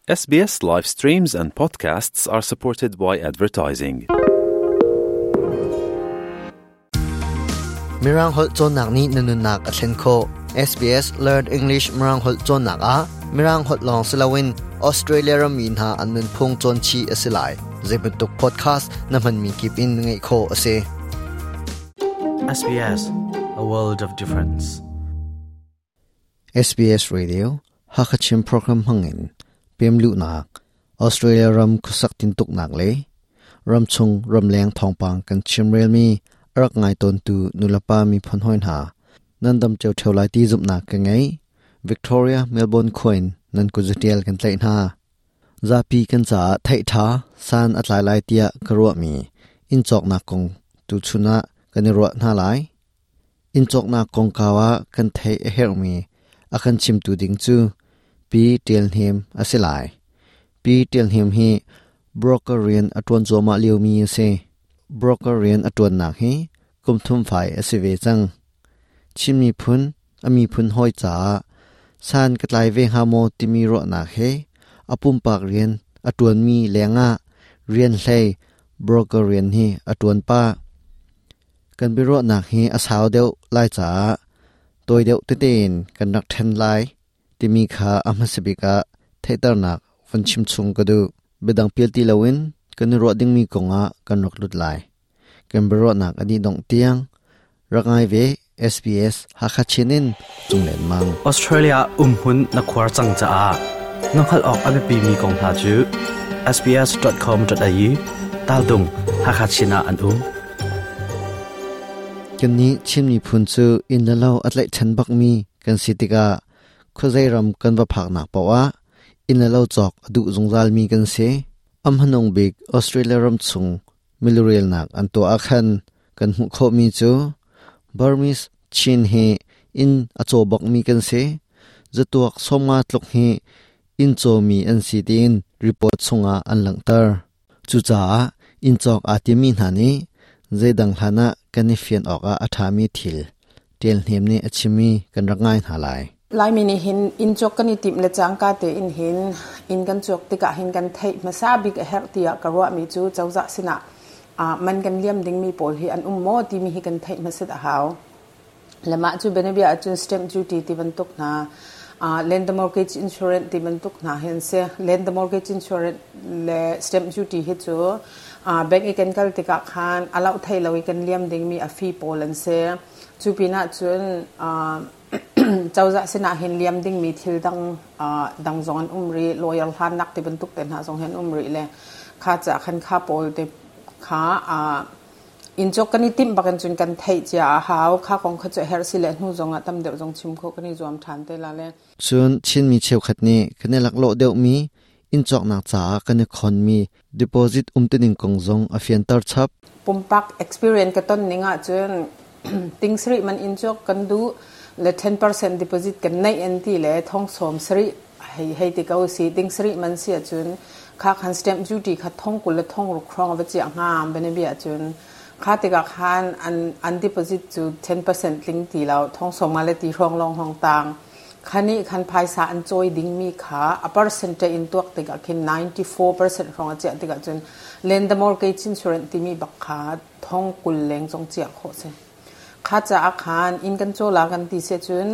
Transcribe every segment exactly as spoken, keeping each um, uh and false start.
S B S live streams and podcasts are supported by advertising. Mirang holh cawnnak nih na nunnak a thlen khawh. S B S Learn English Mirang holh cawnnak ah Mirang holh lawng si loin Australia rammi hna an nunphung cawn chih a si lai. Zeibantuk podcast na hmanmi kip in ngaih khawh a si. S B S, a world of difference. S B S Radio Hakachin program hmangin pemluhnak, Australia ram khuasak tintuknak le ramchung ramleng thawngpang kan chimrelmi a rak ngai tawntu nulepa miphun hawi hna, nan dam cio ṭheo lai ti zumhnak ka ngei. Victoria, Melbourne khua in nan kuzatial kan tlaih hna. Zapi kan caah theih ṭha san a tlai lai tiah ka ruahmi inn cawknak kong tuchun ah kan i ruah hna lai. Inn cawknak kongkau ah kan theih a herhmi a kan chimtu ding cu Pi Tial Hnem a si lai. Pi Tial Hnem hi broker rian a ṭuan cuahmah liomi a si. Broker rian a ṭuannak hi kum thum fai a si ve cang. Chin miphun a miphun hawi caah san ka tlai ve hnga maw timi ruahnak he a pumpak rian a ṭuanmi lengah rian hlei broker rian hi a ṭuan pah. Kan biaruahnak hi a sau deuh lai caah tawi deuh tete in kan rak ṭhen lai timi kha a hmasa bik ah theihternak von chim chung ka duh. Biadang pial ti loin kan i ruah dingmi kongah kan rak lut lai. Kan biaruahnak a dih dongh tiang rak ngai ve. S B S Hakha Chin in Cunglen Mang. Australia umhmun na khuar cang caah na hngalh awk a biapimi kong hna cu S B S dot com dot A U taltung Hakachin ah an um. Kannih Chin miphun cu inn le lo a tlaihchan bakmi kan si tikah khuazei ram kan va phaknak paoh ah inn le lo cawk a duh zungzalmi kan si. A hmanung bik Australia ram chung milurelnak an tuah ah khan kan hmuh khawhmi cu Burmese Chin hi inn a caw bakmi kan si. Zatuak sawmnga tluk hi inn cawmi an si tiin report chungah an langhter. Cucaah inn cawk aa timi hna nih zeidang hlan ah kan i fian awkah a ṭhami thil Tial Hnem nih a chimmi kan rak ngai hna lai. Laimi nih hin inn cawk kan i timh le cangka tein hin inn kan cawk tikah hin kan theih hmasa bik a herh tiah ka ruahmi cu cozah sinah man kan liam dingmi pawl hi an um maw timi hi kan theih hmasat a hau. Le mah cu bianabia ahcun stamp duty ti bantuk hna, lender mortgage insurance ti bantuk hna hi an si. Lender mortgage insurance le stamp duty hi cu bank i kan kal tikah khan a loh thei lo i kan liam dingmi a fee pawl an si. Cu pinah cun cozah sinah hin liam dingmi thil dang dang zong an um rih, lawyer hlannak ti bantuk te hna zong hi an um rih le kha ca khan kha pawl te kha inn cawk kan i timh bakin cun kan theih cia a hau. Kha kong kha cu herh si le hnu zong ah tam deuh zong chim khawh kan i zuam ṭhan te la le. Cun Chinmi cheukhat nih kan i laklawh deuhmi inn cawknak caah kan i khonmi deposit umtuning kong zong a fianter chap. Pumpak experience ka ton ning ahcun ting sarih man inn cawk kan duh le ten percent deposit kan neih an ti le thong sawm sarih hei hei ti ko si, ting sarih man si ahcun kha khan stamp duty kha thong kul le thong ruk hrawng va chiah hnga. Bianabia ahcun kha tikah khan an an deposit cu ten percent tling ti lo, thong sawm nga le ti hrawng lawng hong tang. Khani khan phaisa an cawi dingmi kha a percentage in tuak tikah khin ninety-four percent hrawng a chiah tikah cun lender mortgage insurance timi bak kha thong kul leng zong chiah khawh si. Kha caah khan inn kan caw la kan ti si cun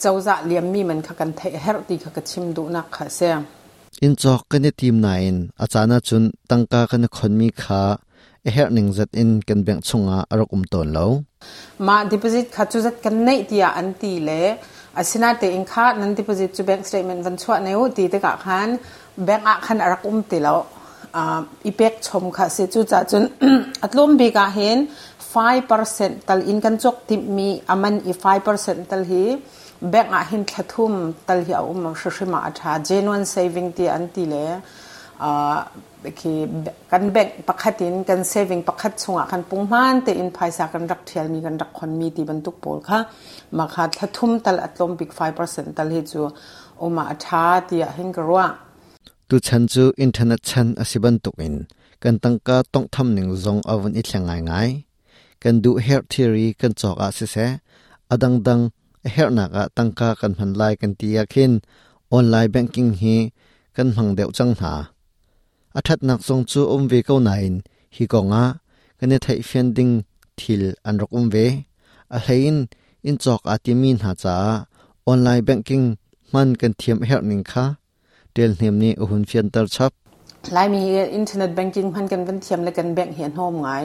cozah liammi man kha kan theih herh ti kha ka chim duhnak kha si. Inn cawk kan i tim nain a caan ahcun tangka kan i khonmi kha a herh ning zat in kan bank chungah a rak um tawn lo. Mah deposit kha cu zat kan neih tiah an ti le asinatein kha nan deposit cu bank statement van chuah ne u ti tikah khan bank ah khan a rak um ti lo, i pek chom kha si. Cu ca cun a tlawm bik ah hin five percent tal, in kan cawk timmi aman i five percent tal hi bank ah hin thlathum tal hi a um hrimhrim ah a ṭha. Genuine saving ti an ti le khi kan bank pakhat in kan saving pakhat chungah kan punghman te in phaisa kan rak thialmi, kan rak khonmi ti bantuk pawl kha ma kha thlathum tal a tlawm bik five percent tal hi cu uma a ṭha tiah hin ka ruah. Tu chan cu internet chan a si bantukin kan tangka tongtham ning zong a vun i thleng ngaingai. Kan duh herh thilri kan cawk ah siseh, a dangdang a herhnak ah tangka kan hman lai kan ti ah khin online banking hi Kan hmang deuh chang hna. A that nak zong chu um ve ko nain hi konga kan i theih fian ding thil an rak um ve. A hlein in chok a ti mi hna cha online banking man kan thiam her ning kha tel hnem ni uhun fian tar chap. Lai mi hi internet banking man kan van thiam le kan bank hi an hom ngai.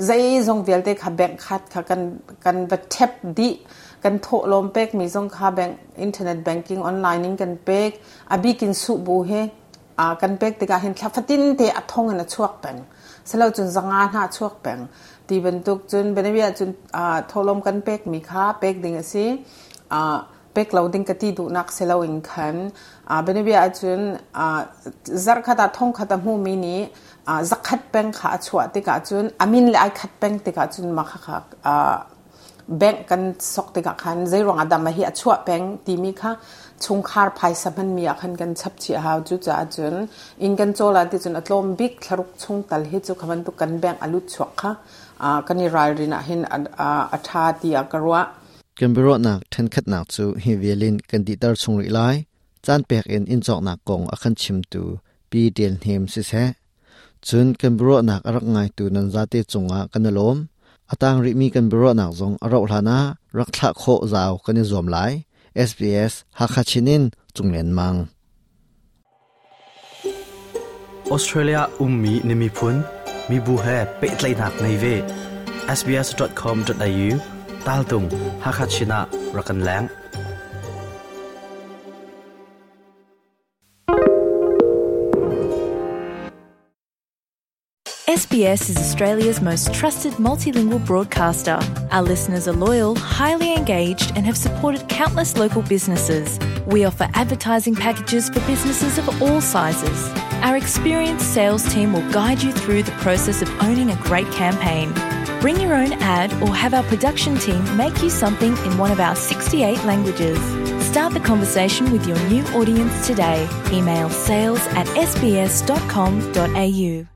Zai zong vialte kha bank khat kha kan kan va tap di kan tho lom pek mi zong kha bank internet banking online in kan pek abikin su bu he a kan pek te ka hin thlafatin te athong an chuak peng selo chun zanga na chuak peng ti bantuk chun benavia chun a tholom kan pek mi kha pek ding asi a pek lo ding ka ti du nak selo in khan a benavia chun a zar khata thong khata mu mi ni a zakhat peng kha chua te ka chun amin le ai khat peng te ka chun ma kha kha a bank kan sok te ka khan zai rong adam hi a chua peng ti mi kha chung khar phai sa man mi a khan kan chap chi haw chu cha chun in kan chola ti chun atlom bik tharuk chung tal hi chu khaman tu kan bank alut chuak kha a kan i ral rina hin a tha ti a karwa. Kan biro nak then khat nak chu hi velin kan di tar chung ri lai chan pek in in chok nak kong a khan chim tu pi del hem si se chun kan biro nak arak ngai tu nan za te chunga kan lom atang ri mi kan biro nak zong aro hlana rak thla kho zaw kan zom lai S B S Hakachinin chunglen mang. Australia ummi nimi phun mi bu he pe tlai nak nei ve S B S dot com dot A U tal tung Hakachina rakan lang. S B S is Australia's most trusted multilingual broadcaster. Our listeners are loyal, highly engaged, and have supported countless local businesses. We offer advertising packages for businesses of all sizes. Our experienced sales team will guide you through the process of owning a great campaign. Bring your own ad or have our production team make you something in one of our sixty-eight languages. Start the conversation with your new audience today. Email sales at S B S dot com dot A U.